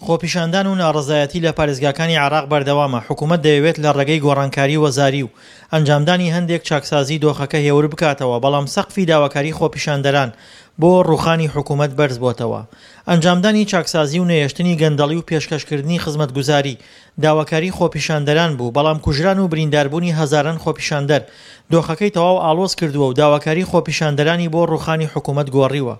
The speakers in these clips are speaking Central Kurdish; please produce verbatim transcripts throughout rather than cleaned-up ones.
خۆپیشاندان و ناڕەزایەتی لە پارێزگاکانی عێراق بەردەوامە، حکومەت دەیەوێت لە ڕێگەی گۆڕانکاری وەزاری و ئەنجامدانی هەندێک چاکسازی دۆخەکە هێور بکاتەوە، بەڵام سەقفی داواکاری خۆپیشاندەران بۆ ڕوخانی حکومەت بەرزبۆتەوە. ئەنجامدانی چاکسازی و نەهێشتنی گەندەڵی و پێشکەشکردنی خزمەتگوزاری داواکاری خۆپیشاندەران بوو، بەڵام کوژران و برینداربوونی هەزاران خۆپیشاندەر دۆخەکەی تەواو ئاڵۆز کردووە و داواکاری خۆپیشاندەرانی بۆ ڕوخانی حکومەت گۆڕیوە.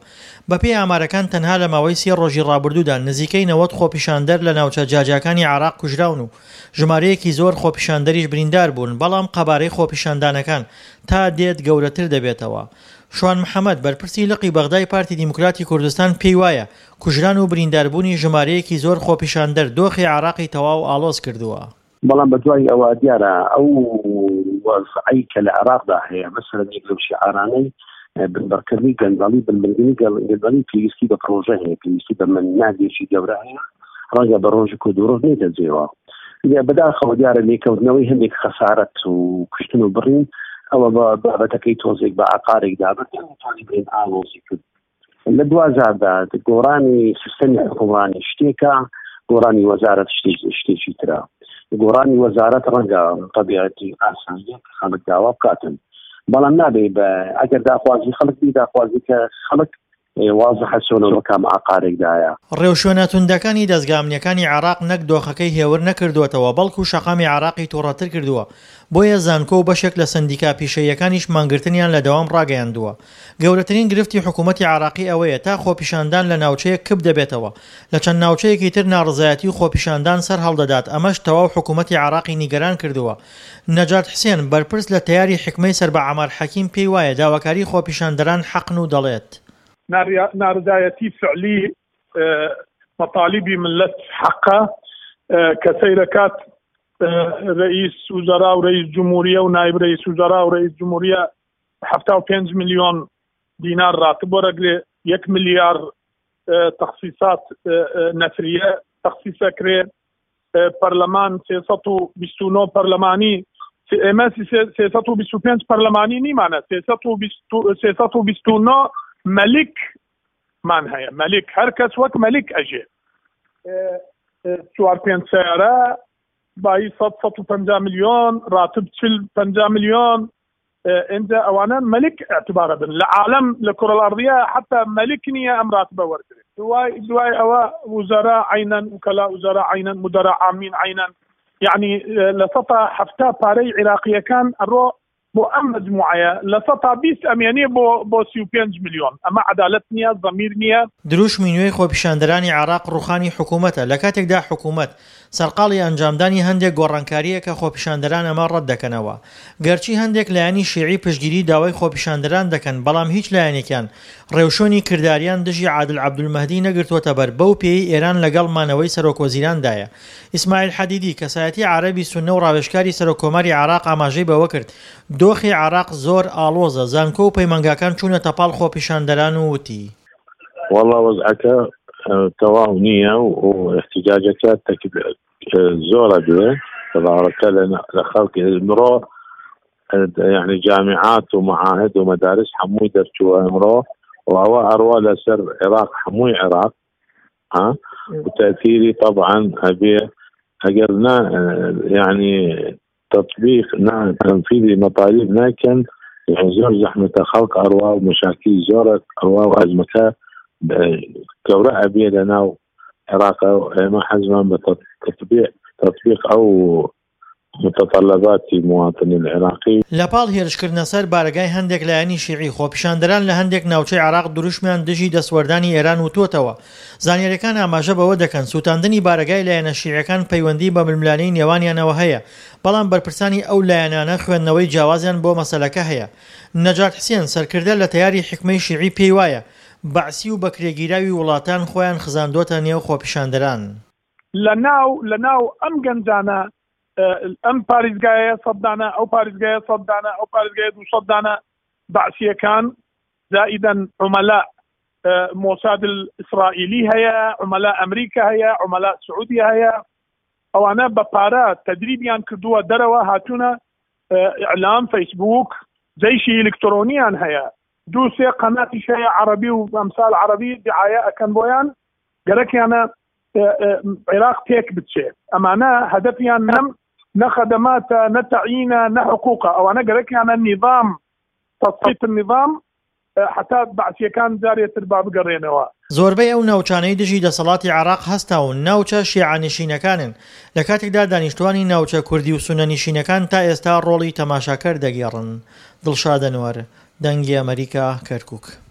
بەپێی ئامارەکان تەنها لە ماوەی سێ ڕۆژی ڕابردوودا نزیکەی نەوەد خۆپیشاندەر لە ناوچە جیاجیاکانی عێراق کوژراون و ژمارەیەکی زۆر خۆپیشاندەریش بریندار بوون، بەڵام قەبارەی خۆپیشاندانەکان تا دێت گەورەتر دەبێتەوە. شوان محەمەد، بەرپرسی لقی بەغدای پارتی دیموکراتی کوردستان پێی وایە کوژران و برینداربوونی ژمارەیەکی زۆر خۆپیشاندەر دۆخی عێراقی تەواو ئاڵۆز کردووە. بەڵام بەدوای ئەوە دیارە ئەو وەزعەی کە لە عێراقدا هەیە، مەسەلەن یەک لەو شیعارانەی بنبڕکردنی گەندەڵی، بنبڕکردنی گەندەڵی پێویستی بە پرۆژە هەیە، پێویستی بە مەنهاجێکی گەورە هەیە، ڕەنگە بە ڕۆژێک و دوو ڕۆژ نێتە جێوە. بەداخەوە دیارە لێکەوتنەوەی هەندێک خەسارەت و کوشتن و بڕین ئەوە بە بابەتەکەی تۆزێک بە عقارێکدا بردن بڵێن ئاڵۆزی کرد. لە دوازاردا گۆڕانی سیستەمی حکومڕانی شتێکە، گۆڕانی وەزارەت شتێکی ترە. گۆڕانی وەزارەت ڕەنگە تەبیعەتی ئاسانیە کە خەڵک داوا بکاتن، بەڵام نابێ بە ئەگەر داخوازی خەڵک بی، داخوازی کە خەڵک وازحە چۆنەوە کام عقارێکدایە. ڕێوشوێنە توندەکانی دەزگا ئەمنیەکانی عێراق نەک دۆخەکەی هێور نەکردووەتەوە، بەڵکو شەقامی عێراقی تووڕەتر کردووە. بۆیە زانکۆ و بەشێک لە سەندیکا پیشەیەکانیش مانگرتنیان لە دەوام ڕاگەیاندووە. گەورەترین گرفتی حکوومەتی عێراقی ئەوەیە تا خۆپیشاندان لە ناوچەیەک کپ دەبێتەوە، لە چەند ناوچەیەکی تر ناڕەزایەتی و خۆپیشاندان سەر هەڵدەدات، ئەمەش تەواو حکوومەتی عێراقی نیگەران کردووە. نەجات حسێن، بەرپرس لە تەیاری حیکمەی سەر بە عەمار حەکیم، پێی وایە داواکاری خۆپیشاندەران حەقن و دەڵێت: ناڕەزایەتی فعلی مەتالیبی ملت حەقە کە سەیرەکات رئیس وزراء و رئیس جمهوریە و نایب رئیس وزراء و رئیس جمهوریە حەفتا و پێنج ملیۆن دینار راتب وەرەگرێ، یەک ملیار تەخسیسات نەفریە تەخسیسەکرێ، پەرلەمان سێ سەد و بیست و نۆ پەرلەمانی، ئێمە سێ سەد و بیست و پێنج پەرلەمانی نیمانە، سێ سەد و بیست و نۆ مەلیک مان هەیە. مەلیک هەر کەس وەک مەلیک ئەژێ، چوار پێنج سەیارە بایی سەد سەد و پەنجا ملیۆن راتب چل پەنجا ملیۆن، ئینجا ئەوانە مەلیک اعتبارە بن لە عالەم لە کورە الأرضیە حتی مەلیک نییە ئەم راتبە وەرگرێت. دوای دوای ئەوە وزراء عەینەن، وکەلا وزراء عەینەن، مدەرا عامین عەینەن، یعنی لە سەتا حەفتا پارەی عێراقیەکان ئەڕۆ بۆ ئەم مجموعەیە، لە سەتا بیست ئەمێنێ بۆ بۆ سی و پێنج ملیۆن. ئەمە عەدالەت نییە، زەمیر نییە. دروشمی نوێی خۆپیشاندەرانی عێراق ڕوخانی حکوومەتە، لە کاتێکدا حکوومەت سەرقاڵی ئەنجامدانی هەندێک گۆڕانکارییە کە خۆپیشاندەران ئەمە ڕەت دەکەنەوە. گەرچی هەندێک لایەنی شیعی پشتگیری داوای خۆپیشاندەران دەکەن، بەڵام هیچ لایەنێکیان ڕێوشوێنی کرداریان دژی عادل عەبدولمەهدی نەگرتووەتە بەر، بەو پێی ئێران لەگەڵ مانەوەی سەرۆکوەزیراندایە. ئیسماعیل حەدیدی، کەسایەتی عەرەبی سوننە و ڕاوێژکاری سەرۆککۆماری عێراق ئاماژەی بەوە کرد دۆخی عێراق زۆر ئاڵۆزە، زانکۆ و پەیمانگاکان چوونەتە پاڵ خۆپیشاندەران و وتی: وەڵا وەزعەکە تەواو نییە و احتیجاجەکە زۆرە بێ، تەظاهرەکە لە خەڵکی ئمڕۆ، یعنی جامیعات و معاهد و مەدارس هەمووی دەرچووە ئمڕۆ، و ئەوە ئەڕوا لەسەر عێراق، هەمووی عێراق ها، وتأثيري طبعا أبي ئەگەر نا يعني تطبيق نا تنفيذ مطالب ناكن يعني زۆر زەحمەتە، خەڵک ئەڕوا و مشاکل زۆر ئەڕوا و ئەزمەکە گەورە ئەبێ لە ناو عێراق. ئێمە حەزمان بە تطبيق تطبيق ئەو متطلبات مواطن العراقي. لە پاڵ هێرشکردنە سەر بارەگای هەندێک لایەنی شیعی، خۆپیشاندەران لە هەندێک ناوچەی عێراق دروشمیان دژی دەستوەردانی ئێران وتووەتەوە. زانیاریەکان ئاماژە بەوە دەکەن سووتاندنی بارەگای لایەنە شیعیەکان پەیوەندی بە ململانێی نێوانیانەوە هەیە، بەڵام بەرپرسانی ئەو لایەنانە خوێندنەوەی جیاوازیان بۆ مەسەلەکە هەیە. نەجات حسێن، سەرکردە لە تەیاری حیکمەی شیعی، پێی وایە بەعسی و بەکرێگیراوی وڵاتان خۆیان خزاندۆتە نێو خۆپیشاندەران. لە ناو لە ناو ئەم گەنجانە، ئەم پارێزگایە سەد دانە، ئەو پارێزگایە سەد دانە، ئەو پارێزگایە دوو سەد دانە بەعسیەکان، زائیدەن عومەلا مۆساد ئیسرائیلی هەیە، عومەلا ئەمریکا هەیە، عومەلا سعودیە هەیە، ئەوانە بە پارە تەدریبیان کردووە، دەرەوە هاتوونە ئیعلام، فەیسبوک، جەیشی ئەلکترۆنیان هەیە، دوو سێ قەناتیش هەیە عەرەبی و ئەمسال عەرەبی دعایە ئەکەن بۆیان، گەرەکیانە عێراق تێک بچێ. ئەمانە هەدەفیان نەم نە خەدەماتە، نە تەعینە، نە حقوقە. ئەوانە گەرەکیانە نیظام، تەسقیط النظام، حتا بەعسیەکان جارێتر با بگەڕێنەوە. زۆربەی ئەو ناوچانەی دژی دەسەڵاتی عێراق هەستاون ناوچە شیعەنشینەکانن، لە کاتێکدا دانیشتوانی ناوچە کوردی و سوننەنشینەکان تا ئێستا ڕۆڵی تەماشاکەر دەگێڕن. دڵشاد ئەنوەر، دەنگی ئەمەریکا، کەرکوک.